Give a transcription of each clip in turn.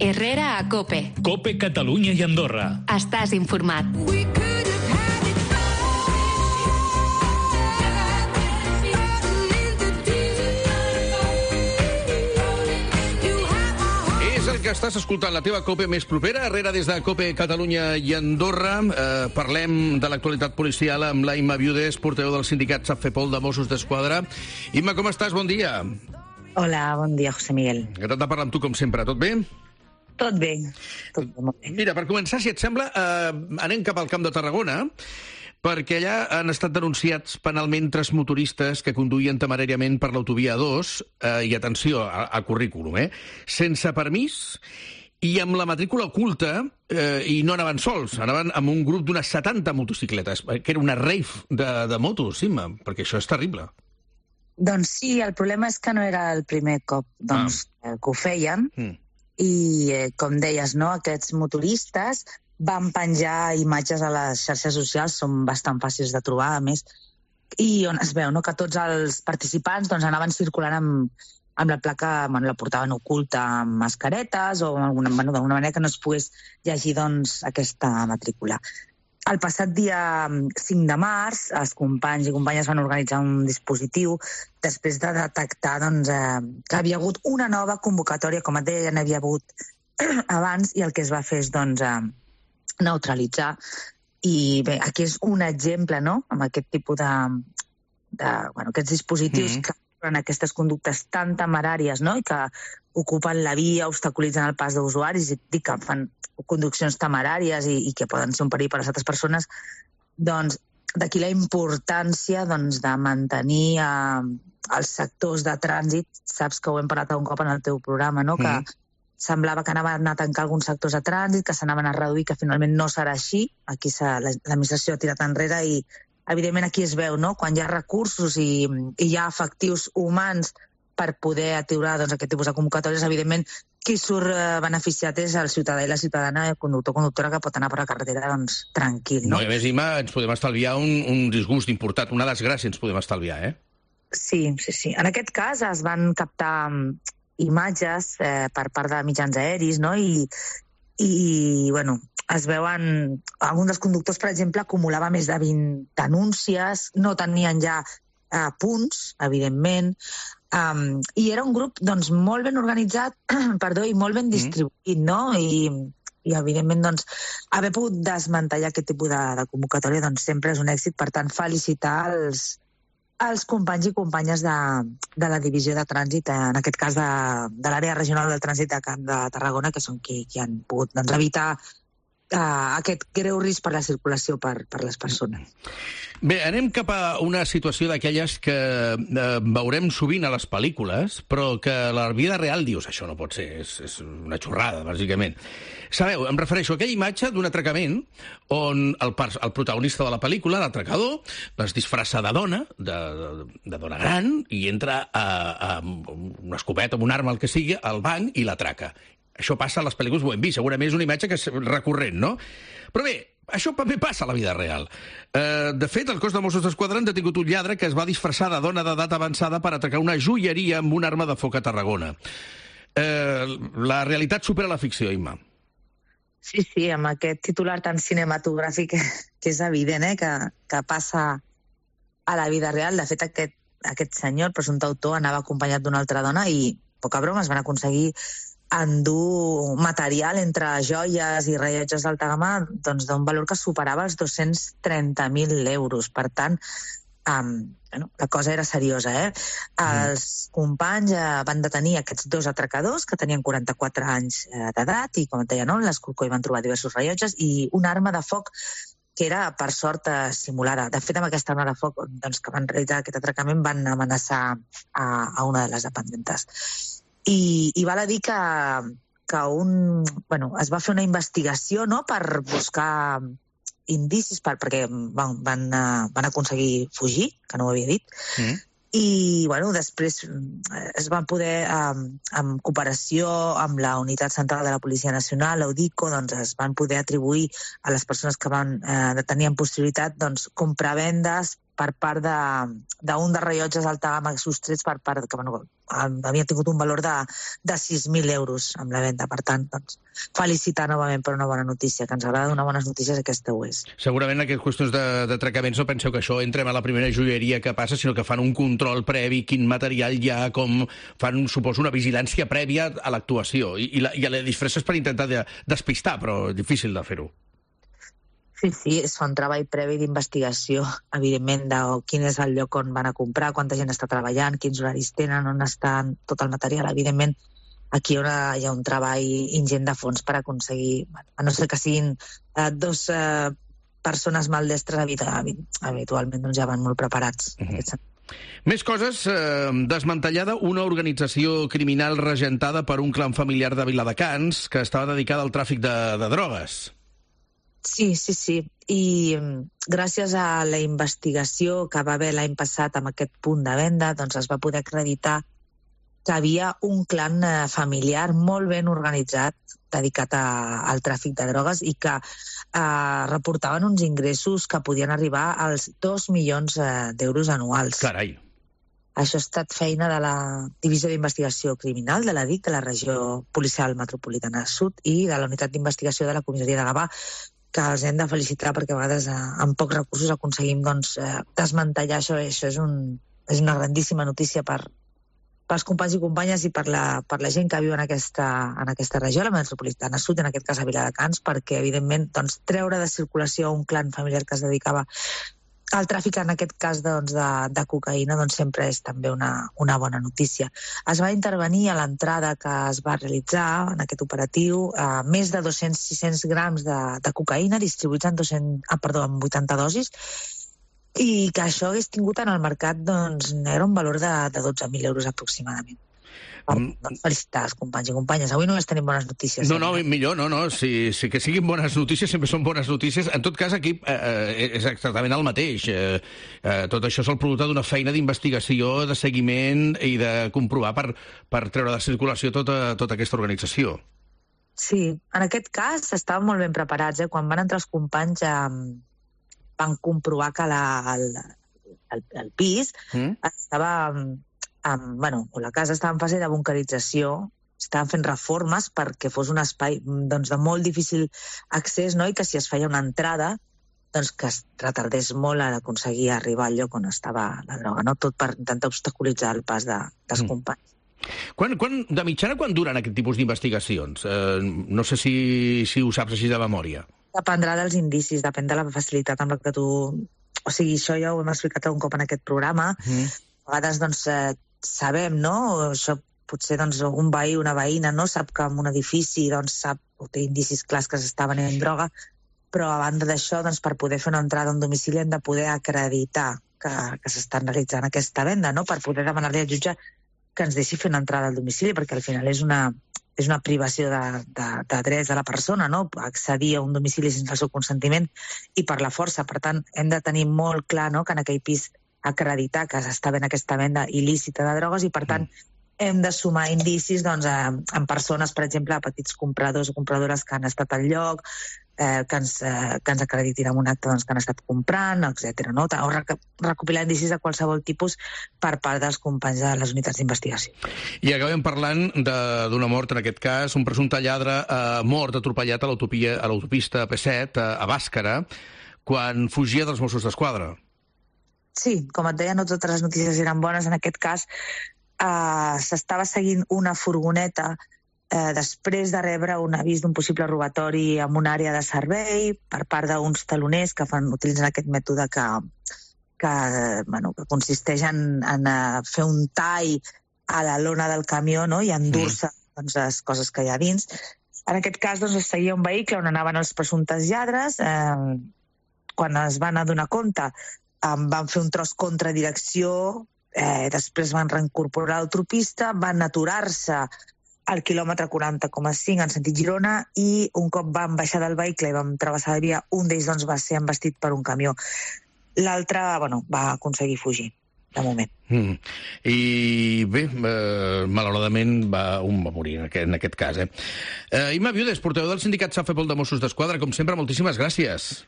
Herrera a COPE. COPE Catalunya i Andorra. Estàs informat. És el que estàs escoltant, la teva COPE més propera. Herrera des de COPE Catalunya i Andorra. Parlem de l'actualitat policial amb la Imma Viudes, portaveu del sindicat SAPFEPOL de Mossos d'Esquadra. Imma, com estàs? Bon dia. Hola, bon dia, José Miguel. Encantat de parlar amb tu, com sempre. Tot bé? Tot bé, molt bé. Mira, per començar, si et sembla, anem cap al Camp de Tarragona, perquè allà han estat denunciats penalment 3 motoristes que conduïen temeràriament per l'autovia 2, i atenció al currículum, sense permís i amb la matrícula oculta, i no anaven sols, anaven amb un grup d'unes 70 motocicletes, que era una rave de motos, Imma, perquè això és terrible. Doncs sí, el problema és que no era el primer cop que ho feien, i, com deies, no, aquests motoristes van penjar imatges a les xarxes socials, són bastant fàcils de trobar, a més, i on es veu, no, que tots els participants doncs, anaven circulant amb la placa, bueno, la portaven oculta amb mascaretes o d'alguna manera que no es pogués llegir doncs, aquesta matrícula. El passat dia 5 de març, els companys i companyes van organitzar un dispositiu després de detectar doncs, que havia hagut una nova convocatòria, com et deia, n'havia hagut abans, i el que es va fer és doncs, neutralitzar. I bé, aquí és un exemple, no?, amb aquest tipus aquests dispositius que en aquestes conductes tan temeràries, no?, i que ocupen la via, obstaculitzen el pas d'usuaris i que fan conduccions temeràries i que poden ser un perill per a les altres persones, doncs d'aquí la importància doncs, de mantenir els sectors de trànsit. Saps que ho hem parlat un cop en el teu programa, no?, que semblava que anaven a tancar alguns sectors de trànsit, que s'anaven a reduir, que finalment no serà així. Aquí l'administració ha tirat enrere i, evidentment, aquí es veu, no?, quan hi ha recursos i hi ha efectius humans per poder aturar doncs, aquest tipus de convocatòries, evidentment, qui surt beneficiat és el ciutadà i la ciutadana, el conductor o conductora que pot anar per la carretera doncs, tranquil. No? No, i a més, Imma, ens podem estalviar un disgust important, una desgràcia ens podem estalviar, Sí. En aquest cas es van captar imatges per part de mitjans aeris, no?, i bueno, es veuen... Algun dels conductors, per exemple, acumulava més de 20 denúncies, no tenien ja punts, evidentment, i era un grup doncs, molt ben organitzat i molt ben distribuït, no? I evidentment, doncs, haver pogut desmantellar aquest tipus de convocatòria doncs, sempre és un èxit. Per tant, felicitar els companys i companyes de la divisió de trànsit, en aquest cas de l'àrea regional del trànsit de Camp de Tarragona, que són qui han pogut doncs, evitar aquest greu risc per la circulació per les persones. Bé, anem cap a una situació d'aquelles que veurem sovint a les pel·lícules, però que a la vida real dius, això no pot ser, és una xorrada, bàsicament. Sabeu, em refereixo a aquella imatge d'un atracament on el protagonista de la pel·lícula, l'atracador, es disfressa de dona, de dona gran, i entra amb una escopeta, amb un arma, el que sigui, al banc i l'atraca. Això passa a les pel·lícules, ho hem vist, segurament és una imatge que és recurrent, no? Però bé, això també passa a la vida real. De fet, el cos de Mossos d'Esquadra han detingut un lladre que es va disfressar de dona d'edat avançada per atracar una joieria amb una arma de foc a Tarragona. La realitat supera la ficció, Imma. Sí, amb aquest titular tan cinematogràfic que és evident que passa a la vida real. De fet, aquest senyor, el presumpte autor, anava acompanyat d'una altra dona i, poca broma, es van aconseguir endur material entre joies i rellotges d'alta gamma doncs, d'un valor que superava els 230.000 euros. Per tant, la cosa era seriosa. Els companys van detenir aquests 2 atracadors que tenien 44 anys d'edat i, com et deia, en l'escorcó hi van trobar diversos rellotges i una arma de foc que era, per sort, simulada. De fet, amb aquesta arma de foc doncs, que van realitzar aquest atracament van amenaçar a una de les dependentes. I val a dir que es va fer una investigació, no?, per buscar indicis, perquè van aconseguir fugir, que no ho havia dit, i després es van poder, en cooperació amb la Unitat Central de la Policia Nacional, l'UDICO, doncs es van poder atribuir a les persones que tenien possibilitat compravendes per part d'un dels rellotges d'alta gamma sostrets per part que, bueno, havia tingut un valor de 6.000 euros amb la venda. Per tant, doncs, felicitar novament per una bona notícia, que ens agrada donar bones notícies, aquesta ho és. Segurament en aquestes qüestions d'atracaments no penseu que això entrem a la primera joieria que passa, sinó que fan un control previ, quin material hi ha, com fan, suposo, una vigilància prèvia a l'actuació. I la disfressa és per intentar despistar, però difícil de fer-ho. Sí, es fa un treball previ d'investigació, evidentment, de quin és el lloc on van a comprar, quanta gent està treballant, quins horaris tenen, on està tot el material. Evidentment, aquí hi ha un treball ingent de fons per aconseguir, a no ser que siguin dos persones maldestres, habitualment doncs ja van molt preparats. Més coses. Desmantellada una organització criminal regentada per un clan familiar de Viladecans que estava dedicada al tràfic de drogues. Sí. I gràcies a la investigació que va haver l'any passat amb aquest punt de venda, doncs es va poder acreditar que havia un clan familiar molt ben organitzat dedicat al tràfic de drogues i que reportaven uns ingressos que podien arribar als 2 milions d'euros anuals. Carai! Això ha estat feina de la Divisió d'Investigació Criminal de la DIC, de la Regió Policial Metropolitana Sud, i de la Unitat d'Investigació de la Comissaria de Gavà, que els hem de felicitar perquè a vegades amb pocs recursos aconseguim desmantellar això. Això és una grandíssima notícia pels companys i companyes i per la gent que viu en aquesta regió, la Metropolitana Sud, en aquest cas a Viladecans, perquè, evidentment, treure de circulació un clan familiar que es dedicava al tràfic, en aquest cas de cocaïna, sempre és també una bona notícia. Es va intervenir a l'entrada que es va realitzar en aquest operatiu més de 200-600 grams de cocaïna distribuïts en 80 dosis, i que això hagués tingut en el mercat era un valor de 12.000 euros aproximadament. Felicitar els companys i companyes. Avui només tenim bones notícies. No, millor, no. Si que siguin bones notícies, sempre són bones notícies. En tot cas, aquí és exactament el mateix. Tot això és el producte d'una feina d'investigació, de seguiment i de comprovar per treure de circulació tota aquesta organització. Sí, en aquest cas estaven molt ben preparats. Quan van entrar els companys van comprovar que el pis estava... la casa estava en fase de bunkerització, estaven fent reformes perquè fos un espai de molt difícil accés, no? I que si es feia una entrada, que es retardés molt a aconseguir arribar al lloc on estava la droga, no? Tot per intentar obstaculitzar el pas dels companys. De mitjana, quan duren aquest tipus d'investigacions? No sé si ho saps així de memòria. Dependrà dels indicis, depèn de la facilitat amb la que tu... O sigui, això ja ho hem explicat un cop en aquest programa. A vegades, sabem, no? Això potser un veí, una veïna, no? Sap que en un edifici sap o té indicis clars que s'està venent droga, però a banda d'això, per poder fer una entrada a un domicili hem de poder acreditar que s'està realitzant aquesta venda, no? Per poder demanar-li al jutge que ens deixi fer una entrada al domicili, perquè al final és una privació de drets de la persona, no? Accedir a un domicili sense el seu consentiment i per la força. Per tant, hem de tenir molt clar, no?, que en aquell pis acreditar que s'està fent aquesta venda il·lícita de drogues i, per tant, hem de sumar indicis en persones, per exemple, petits compradors o compradores que han estat al lloc, que ens acreditin en un acte que han estat comprant, etc. No? O recopilar indicis de qualsevol tipus per part dels companys de les unitats d'investigació. I acabem parlant d'una mort, en aquest cas, un presumpte lladre mort atropellat a l'autopista P7 a Bàscara quan fugia dels Mossos d'Esquadra. Sí, com et deia, no totes les notícies eren bones. En aquest cas, s'estava seguint una furgoneta després de rebre un avís d'un possible robatori en una àrea de servei per part d'uns taloners que utilitzen aquest mètode que consisteix en fer un tall a la lona del camió, no?, i endur-se les coses que hi ha dins. En aquest cas, es seguia un vehicle on anaven els presumptes lladres. Quan es van adonar compte, van fer un tros contradirecció, després van reincorporar l'autopista, van aturar-se al quilòmetre 40,5 en sentit Girona i un cop van baixar del vehicle i van travessar la via, un d'ells va ser embestit per un camió. L'altre va aconseguir fugir, de moment. I bé, malauradament un va morir en aquest cas. Imma Viudes, portaveu del sindicat Safepol de Mossos d'Esquadra, com sempre, moltíssimes gràcies.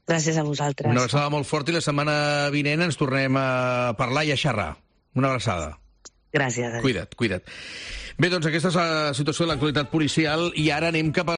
Gràcies a vosaltres. Una abraçada molt forta i la setmana vinent ens tornem a parlar i a xerrar. Una abraçada. Gràcies. Cuida't. Bé, doncs aquesta és la situació de l'actualitat policial i ara anem cap a